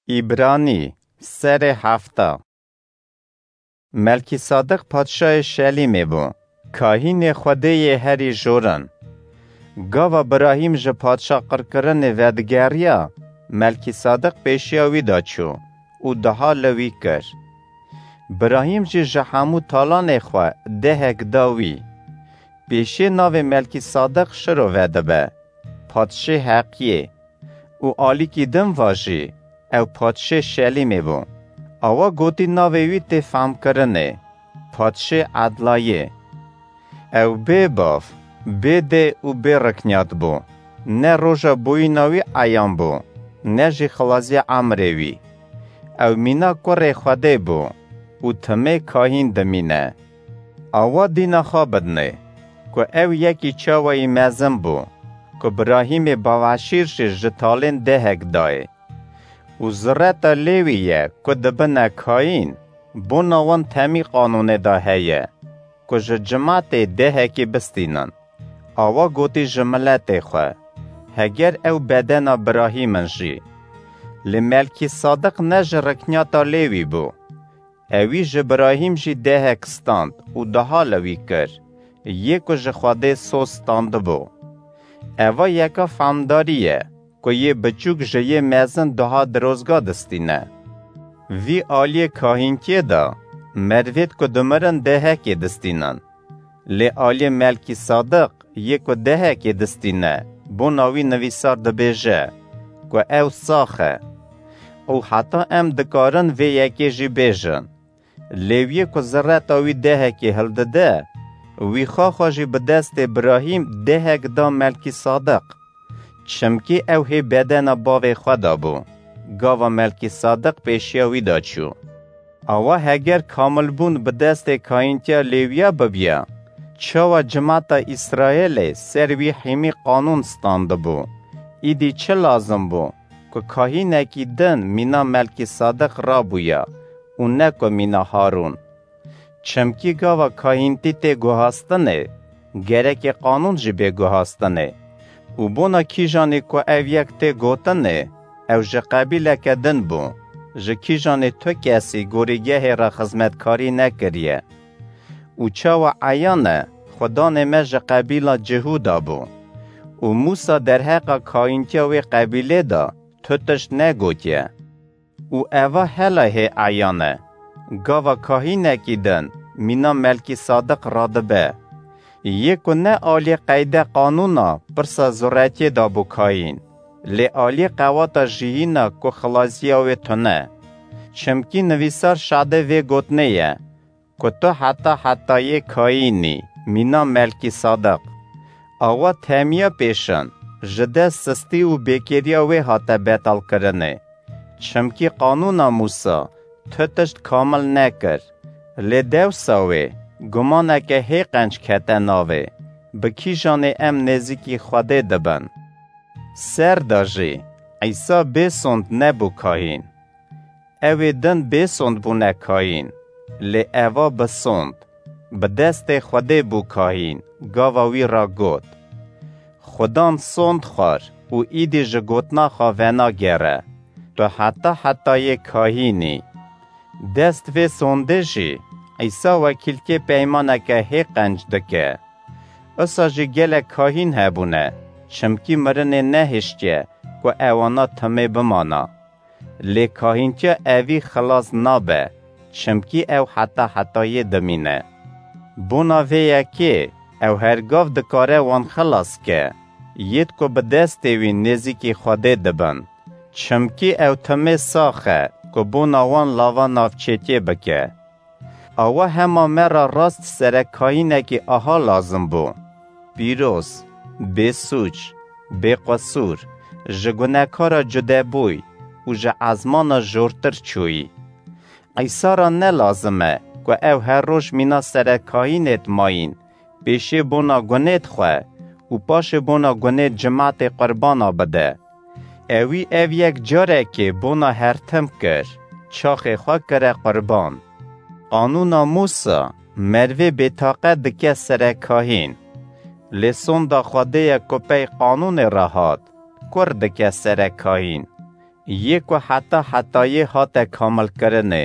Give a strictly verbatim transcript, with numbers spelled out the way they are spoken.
Îbranî, serê hefta. Melkîsadeq padşahê Şelîmê bû, kahînê Xwedê yê herî jorin. Gava Birahîm ji padşah qirkirinê vedigeriya, Melkîsadeq pêşiya wî de çû û duha li wî kir. Birahîm jî ji hemû talanê xwe dehek da wî. Pêşê navê Melkîsadeq Şiro vedibe, padşê heqiyê. Û alîkî din va jî, ew padşê Şelîmê bû. Awa gotî navê wî tê famkirinê, padşê edlayê. Ew bê bav, bê dê û bê riknyat bû. Ne roja bûyîna wî eyan bû, ne jî xilaziya emrê wî. Ew mîna kurê Xwedê bû û timê kahîn dimîne. Awa dîna xwe bidinê, ku ew yekî çawayî mezin bû, ku Birahîmê baveşîr jî ji talên dehek dayê. Û zireta Lêwî ye, ku dibine kahîn, bona wan temî qanûnê de heye, ku ji cimatê dehekî bistînin. Awa gotî ji miletê xwe, heger ew bedena Birahîm in jî. Lê Melkîsadeq ne ji riknyata Lêwî bû. Ewî ji Birahîm jî dehek stand û duha li wî kir, yê ku ji Xwedê soz standibû. Eva yeka famdarî ye, ku yê biçûk ji yê mezin duha dirozga distîne. Vî aliyê kahînkiyê de mervêd ku dimirin dehekê distînin. Lê aliyê Melkîsadeq yê ku dehekê distîne, bona wî nivîsar dibêje, ku ew sax e. Û heta em dikarin vê yekê jî bêjin. Lêwiyê ku zireta wî dehekê hildide, wî xaxa jî bi destê Birahîm dehek da Melkîsadeq. Çimkî ew hê bedena bavê xwe de bû, gava Melkîsadeq pêşiya wî de çû. Awa heger kamilbûn bi destê kahîntiya Lêwiya bibiya, çawa cimata Îsraêlê ser wî hîmî qanûn standibû? Îdî çi lazim bû, ku kahînekî din mîna Melkîsadeq rabûya û ne ku mîna Harûn? Çimkî gava kahîntî tê guhastinê, gerekê qanûn jî bê guhastinê. Û bona kîjanê ku ev yek tê gotinê, ew ji qebîleke din bû, ji kîjanê tu kesî gorîgehê re xizmetkarî nekiriye. Û çawa eyan e, xudanê me ji qebîla Cihûda bû. Û Mûsa derheqa kahîntiya wê qebîlê de tu tişt negotiye. Û eva hela hê eyan e, gava kahînekî din mîna Melkîsadeq radibe. Yê ku ne aliyê qeyde qanûna pirsa zuretiyê de bû kahîn, lê aliyê qewata jiyîna ku xilaziya wê tune. Çimkî nivîsar şadê vê gotinê ye, ku tu heta hetayê kahîn î, mîna Melkîsadeq. Awa temiya pêşin, ji dest sistî û bêkêriya wê hate betalkirinê. Çimkî qanûna Mûsa tu tişt kamil nekir. Lê dewsa wê gumaneke hê qenc kete navê, bi kîjanê em nêzîkî Xwedê dibin. Ser de jî Îsa bê sond nebû kahîn. Ewê din bê sond bûne kahîn, lê eva bi sond, bi destê Xwedê bû kahîn, gava wî ra got: Xudan sond xwar û îdî ji gotina xwe venagere, tu heta hetayê kahîn î. Dest vê sondê jî Îsa wekîlkê peymaneke hê qenc dike. Usa jî gelek kahîn hebûne, çimkî mirinê nehiştiye ku ewana timê bimana. Lê kahîntiya evî xilas nabe, çimkî ew heta hetayê dimîne. Bona vê yekê ew her gav dikare wan xilas ke, yêd ku bi destê wî nêzîkî Xwedê dibin. Çimkî ew timê sax e ku bona wan lava navçêtiyê bike. Awa hema me re rast serekkahînekî aha lazim bû. Pîroz, bêsûc, bêqesûr, ji gunekara cudebûy û ji ezmana jortir çûyî. Îsa re ne lazim e ku ew her roj mîna serekkahînêd mayîn, pêşê bona gunêd xwe û paşê bona gunêd cimatê qurbana bide. Ewî ev yek carekê bona her tim kir, çaxê xwe kire qurban. Qanûna Mûsa mervê bêtaqet dike serekkahîn. Lê sonda Xwedê ye ku pey qanûnê re hat, kur dike serekkahîn. yê ku heta hetayê hate kamilkirinê.